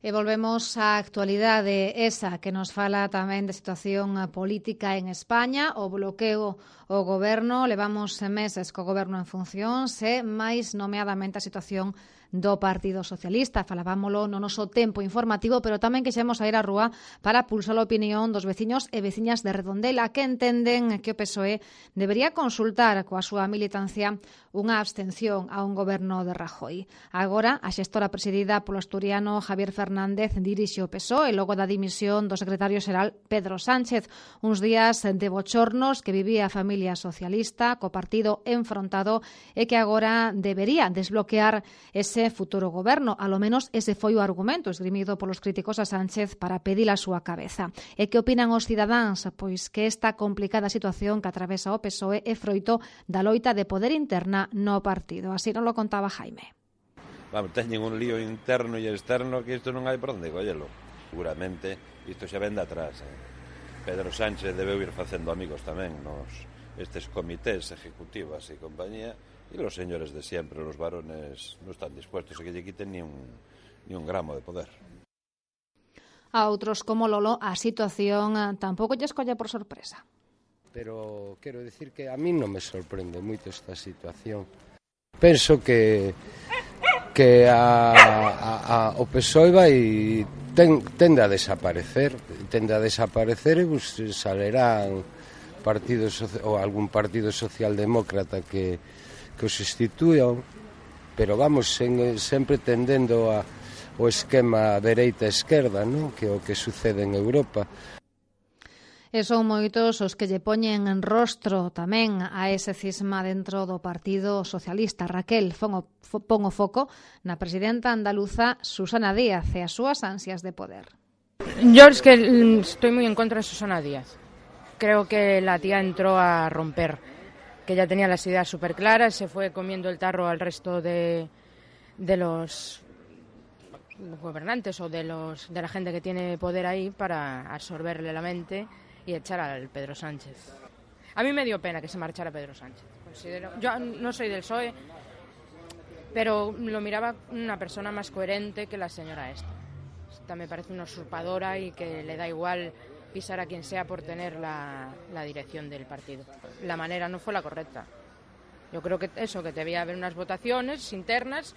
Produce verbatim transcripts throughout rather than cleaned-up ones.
E volvemos á actualidade esa que nos fala tamén de situación política en España, o bloqueo o goberno, levamos meses co goberno en funcións e máis nomeadamente a situación do Partido Socialista. Falábamolo no noso tempo informativo, pero tamén quixemos ir á rúa para pulsar a opinión dos veciños e veciñas de Redondela que entenden que o P S O E debería consultar coa súa militancia unha abstención a un goberno de Rajoy. Agora, a xestora presidida polo asturiano Javier Fernández dirixe o P S O E logo da dimisión do secretario xeral Pedro Sánchez. Uns días de bochornos que vivía a familia socialista co partido enfrontado e que agora debería desbloquear ese futuro goberno. A lo menos ese foi o argumento esgrimido polos críticos a Sánchez para pedir a súa cabeza. E que opinan os cidadáns? Pois que esta complicada situación que atravesa o P S O E é froito da loita de poder interna no partido. Así non lo contaba Jaime. Vamos, teñen un lío interno e externo que isto non hai por onde collelo. Seguramente isto xa ven de atrás. Eh? Pedro Sánchez debeu ir facendo amigos tamén nos estes comités ejecutivas e compañía, e los señores de siempre, los varones, non están dispuestos a que lle quiten ni un, ni un gramo de poder. A outros como Lolo, a situación tampouco lle escolle por sorpresa. Pero quero dicir que a mí non me sorprende moito esta situación. Penso que que a, a, a, o P S O E vai ten, tende a desaparecer, tende a desaparecer e pues, salerán partidos ou algún partido socialdemócrata que que os instituían, pero vamos en, sempre tendendo a, o esquema dereita-esquerda, non? Que é o que sucede en Europa. E son moitos os que lle poñen en rostro tamén a ese cisma dentro do Partido Socialista. Raquel pon o, pon o foco na presidenta andaluza Susana Díaz e as súas ansias de poder. Yo es que estoy muy en contra de Susana Díaz. Creo que la tía entró a romper, que ya tenía las ideas súper claras, se fue comiendo el tarro al resto de, de los gobernantes o de, los, de la gente que tiene poder ahí para absorberle la mente y echar al Pedro Sánchez. A mí me dio pena que se marchara Pedro Sánchez. Considero, yo no soy del P S O E, pero lo miraba una persona más coherente que la señora esta. Esta me parece una usurpadora y que le da igual pisar a quien sea por tener la, la dirección del partido. La manera no fue la correcta. Yo creo que eso, que debía haber unas votaciones internas,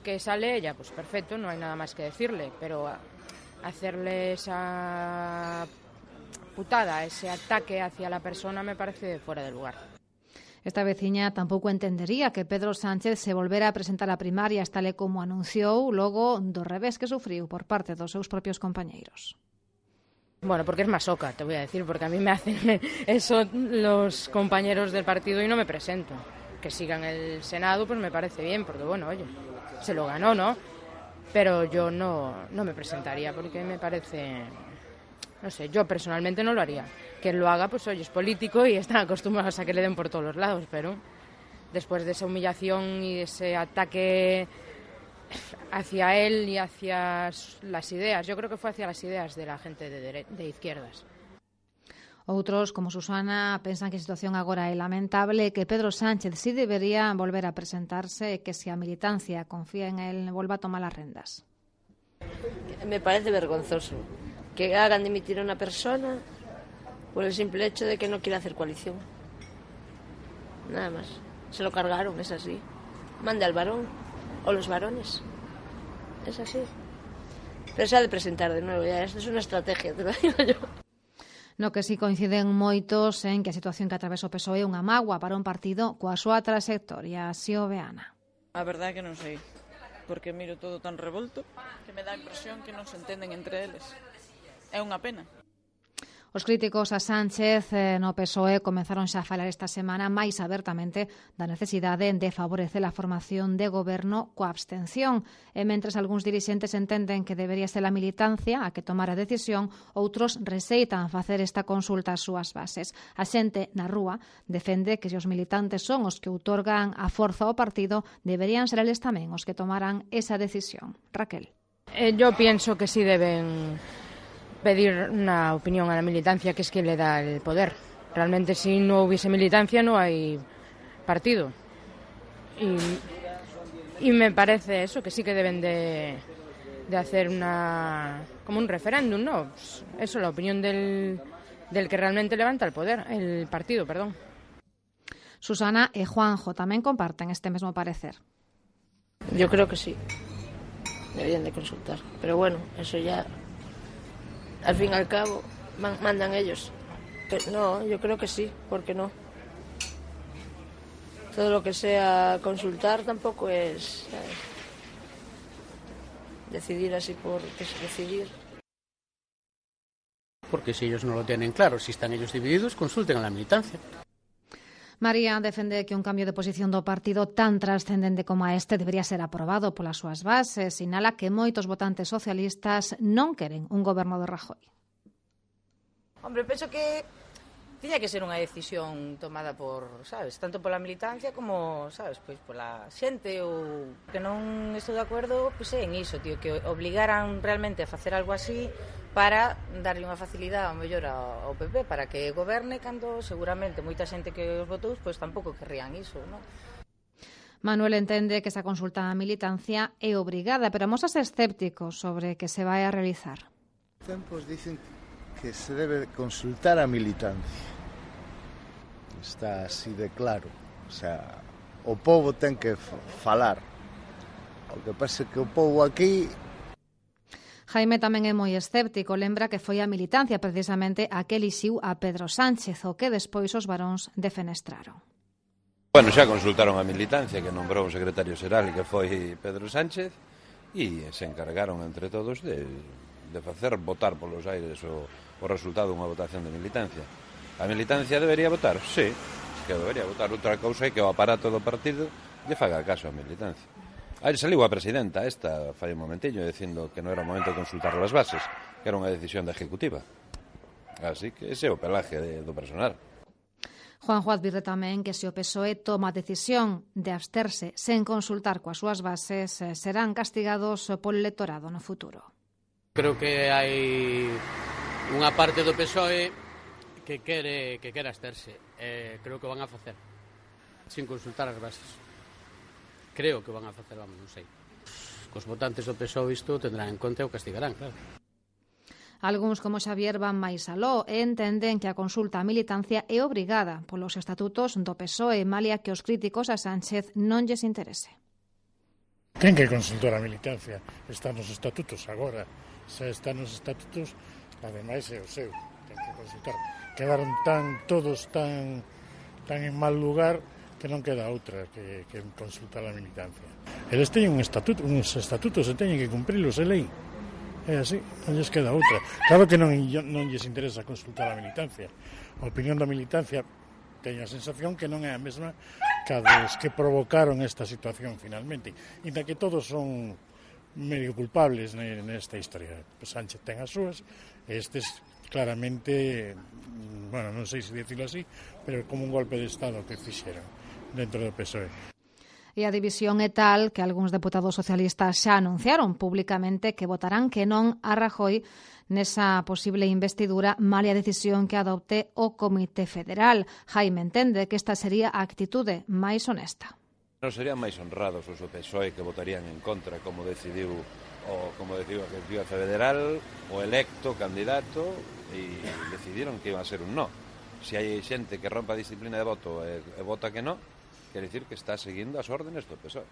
que sale ella, pues perfecto, no hay nada más que decirle, pero hacerle esa putada, ese ataque hacia la persona me parece fuera de lugar. Esta veciña tampouco entendería que Pedro Sánchez se volvera a presentar a primarias tal e como anunciou logo do revés que sufriu por parte dos seus propios compañeiros. Bueno, porque es masoca, te voy a decir, porque a mí me hacen eso los compañeros del partido y no me presento. Que sigan el Senado, pues me parece bien, porque bueno, oye, se lo ganó, ¿no? Pero yo no, no me presentaría porque me parece, no sé, yo personalmente no lo haría. Quien lo haga, pues oye, es político y están acostumbrados a que le den por todos los lados, pero después de esa humillación y ese ataque hacia él y hacia las ideas, yo creo que fue hacia las ideas de la gente de, dere- de izquierdas. Outros, como Susana, pensan que a situación agora é lamentable, que Pedro Sánchez sí debería volver a presentarse e que se a militancia confía en él, volva a tomar las rendas. Me parece vergonzoso que hagan dimitir a una persona por el simple hecho de que no quiere hacer coalición. Nada más. Se lo cargaron, es así. Mande al varón o los varones. Es así. Pero se ha de presentar de nuevo, ya. Esto es una estrategia, te lo digo yo. No que si coinciden moitos en que a situación que atravesa o P S O E é unha mágoa para un partido coa súa trayectoria. Así o ve Ana. A verdade é que non sei, porque miro todo tan revolto que me dá a impresión que non se entenden entre eles. É unha pena. Os críticos a Sánchez eh, no P S O E comenzaron xa a falar esta semana máis abertamente da necesidade de favorecer a formación de goberno coa abstención. E mentres algúns dirixentes entenden que debería ser a militancia a que tomara a decisión, outros receitan facer esta consulta ás súas bases. A xente na rúa defende que se os militantes son os que outorgan a forza ao partido, deberían ser eles tamén os que tomaran esa decisión. Raquel. Eh, yo pienso que sí deben pedir una opinión a la militancia, que es quien le da el poder. Realmente, si no hubiese militancia, no hay partido. Y, y me parece eso, que sí que deben de, de hacer una como un referéndum, ¿no? Pues eso, la opinión del, del que realmente levanta el poder, el partido, perdón. Susana e Juanjo tamén comparten este mesmo parecer. Yo creo que sí, deberían de consultar, pero bueno, eso ya, al fin y al cabo, mandan ellos. Pero no, yo creo que sí, ¿por qué no? Todo lo que sea consultar tampoco es, ¿sabes? Decidir así por decidir. Porque si ellos no lo tienen claro, si están ellos divididos, consulten a la militancia. María defende que un cambio de posición do partido tan trascendente como a este debería ser aprobado polas súas bases. Sinala que moitos votantes socialistas non queren un goberno de Rajoy. Hombre, penso que tiña que ser unha decisión tomada por, sabes, tanto pola militancia como, sabes, pois pola xente, ou que non estou de acordo, pois é en iso, tío, que obligaran realmente a facer algo así para darlle unha facilidade ao mellor ao P P para que goberne cando seguramente moita xente que os votou pois tampouco querrían iso, non? Manuel entende que esa consulta á militancia é obrigada, pero mosas escéptico sobre que se vai a realizar. Tempos dicen que se debe consultar a militancia. Está así de claro. O sea, o povo ten que falar. O que pasa é que o povo aquí... Jaime tamén é moi escéptico, lembra que foi a militancia precisamente a que elixiu a Pedro Sánchez, o que despois os varóns defenestraron. Bueno, xa consultaron a militancia que nombrou o secretario xeral que foi Pedro Sánchez e se encargaron entre todos de, de facer votar polos aires o, o resultado dunha votación de militancia. A militancia debería votar? Sí, que debería votar. Outra cousa é que o aparato do partido lle faga caso a militancia. Aí saliu a presidenta esta fai un momentillo dicindo que non era o momento de consultar as bases, que era unha decisión da ejecutiva. Así que ese é o pelaje de, do personal. Juanjo advirte tamén que se o P S O E toma a decisión de absterse sen consultar coas súas bases, serán castigados polo electorado no futuro. Creo que hai unha parte do P S O E que quere, que quere absterse. Eh, creo que van a facer sin consultar as bases. Creo que van a facer, vamos, non sei. Os votantes do P S O E isto tendrán en conta e o castigarán, claro. Algúns, como Xavier, van máis aló e entenden que a consulta á militancia é obrigada polos estatutos do P S O E, malia que os críticos a Sánchez non lles interese. Ten que consultar a militancia. Está nos estatutos agora. Se está nos estatutos, ademais é o seu. Ten que consultar. Quedaron tan todos tan, tan en mal lugar que non queda outra que, que consultar a militancia. Eles teñen un estatuto, uns estatutos e teñen que cumprilos, é lei. É así, non lles queda outra. Claro que non, non lles interesa consultar a militancia. A opinión da militancia teño a sensación que non é a mesma que a dos que provocaron esta situación finalmente. E da que todos son medio culpables nesta historia. Sánchez ten as súas, estes claramente, bueno, non sei se dicilo así, pero como un golpe de Estado que fixeron dentro do P S O E. E a división é tal que algúns deputados socialistas xa anunciaron públicamente que votarán que non a Rajoy nesa posible investidura, malia decisión que adopte o Comité Federal. Jaime entende que esta sería a actitude máis honesta. Non serían máis honrados os do P S O E que votarían en contra, como decidiu o como decidiu a Executiva Federal, o electo candidato, e decidiron que iba a ser un no. Se hai xente que rompa a disciplina de voto e, e vota que no, quer dicir que está seguindo as órdenes do P S O E,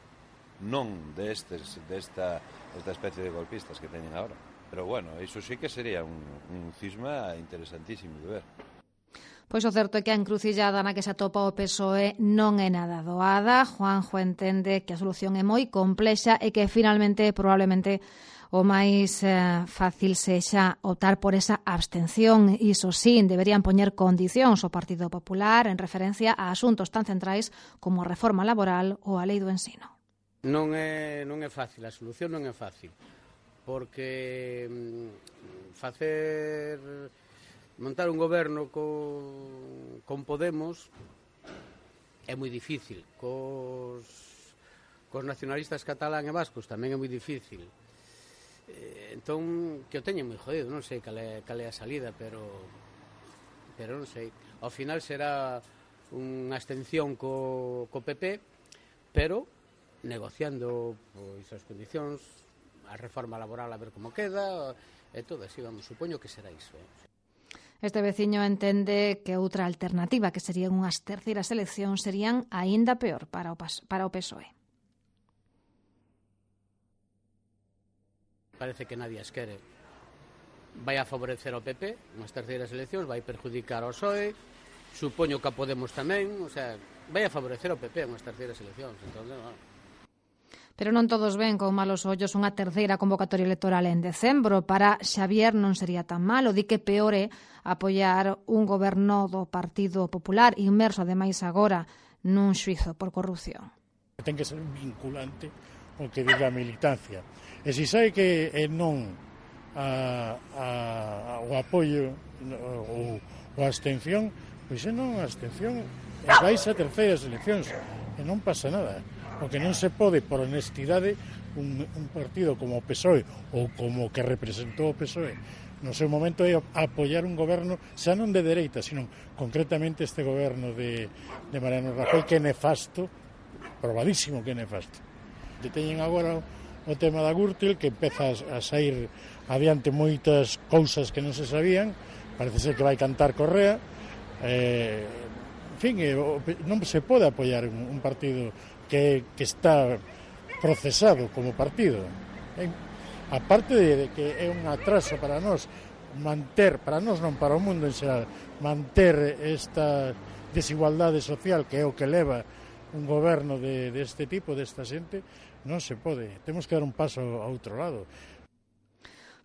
non destes, desta, desta especie de golpistas que teñen agora. Pero bueno, iso sí que sería un, un cisma interesantísimo de ver. Pois o certo é que a encrucillada na que se atopa o P S O E non é nada doada. Juanjo entende que a solución é moi complexa e que finalmente probablemente o máis eh, fácil sexa optar por esa abstención. Iso sí, deberían poñer condicións ao Partido Popular en referencia a asuntos tan centrais como a reforma laboral ou a lei do ensino. Non é, non é fácil, a solución non é fácil, porque mm, facer montar un goberno con, con Podemos é moi difícil, cos, cos nacionalistas catalán e vascos tamén é moi difícil. Entón, que o teñen moi jodido, non sei cal é, cal é a salida, pero pero non sei. Ao final será unha abstención co, co P P, pero negociando pois as condicións a reforma laboral a ver como queda, e todo así, vamos, supoño que será iso. Eh? Este veciño entende que outra alternativa, que serían unhas terceiras eleccións, serían aínda peor para o, para o P S O E. Parece que nadie as quere. Vai a favorecer ao P P, unhas terceiras eleccións, vai perjudicar ao P S O E, supoño que a Podemos tamén, o sea, vai a favorecer ao P P unhas terceiras eleccións, entón, bueno. Pero non todos ven con malos ollos unha terceira convocatoria electoral en decembro. Para Xavier non sería tan malo, di que peor é apoiar un goberno do Partido Popular inmerso ademais agora nun xuizo por corrupción. Ten que ser vinculante o que diga a militancia. E se sabe que é non a, a, o apoio ou a abstención, pois é non a abstención e vais a terceiras eleccións e non pasa nada. O que non se pode, por honestidade, un, un partido como o P S O E ou como que representou o P S O E no seu momento é apoiar un goberno xa non de dereita, sino concretamente este goberno de, de Mariano Rajoy, que é nefasto, probadísimo que é nefasto. Deteñen agora o tema da Gürtel, que empeza a sair adiante moitas cousas que non se sabían, parece ser que vai cantar Correa, eh, en fin, non se pode apoiar un, un partido que, que está procesado como partido. Eh, aparte de, de que é un atraso para nós manter, para nós non, para o mundo en xeral, manter esta desigualdade social que é o que leva un goberno de, deste tipo, desta xente, non se pode. Temos que dar un paso a outro lado.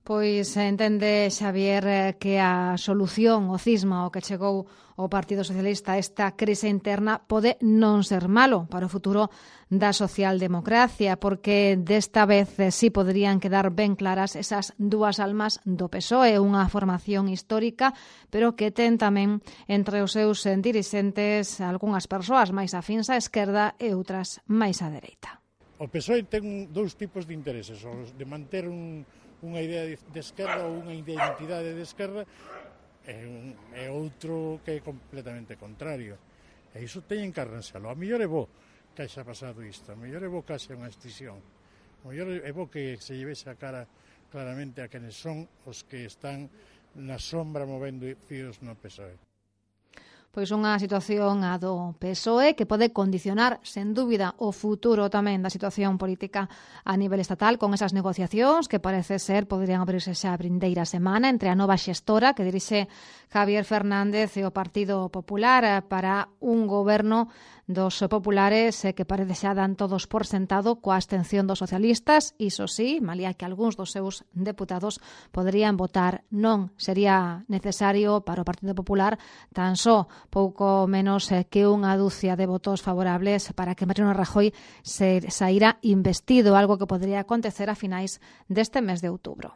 Pois entende Xavier que a solución, o cisma, o que chegou o Partido Socialista a esta crise interna pode non ser malo para o futuro da socialdemocracia, porque desta vez sí poderían quedar ben claras esas dúas almas do P S O E, unha formación histórica, pero que ten tamén entre os seus dirixentes algunhas persoas máis afíns á esquerda e outras máis á dereita. O P S O E ten dous tipos de intereses, os de manter un unha idea de esquerda ou unha identidade de esquerda e, un, e outro que é completamente contrario. E iso teñen que arranxalo. A mellor é bo que haxa pasado isto, a mellor é bo que haxa unha extinción, a mellor é bo que se llevese a cara claramente a quenes son os que están na sombra movendo fíos no P S O E. Pois unha situación a do P S O E que pode condicionar, sen dúbida, o futuro tamén da situación política a nivel estatal con esas negociacións que parece ser poderían abrirse xa a vindeira semana entre a nova xestora que dirixe Javier Fernández e o Partido Popular para un goberno dos populares que parece xa dan todos por sentado coa abstención dos socialistas. Iso sí, malía que algúns dos seus deputados poderían votar non. Sería necesario para o Partido Popular tan só pouco menos que unha dúcia de votos favorables para que Mariano Rajoy se saíra investido, algo que podría acontecer a finais deste mes de outubro.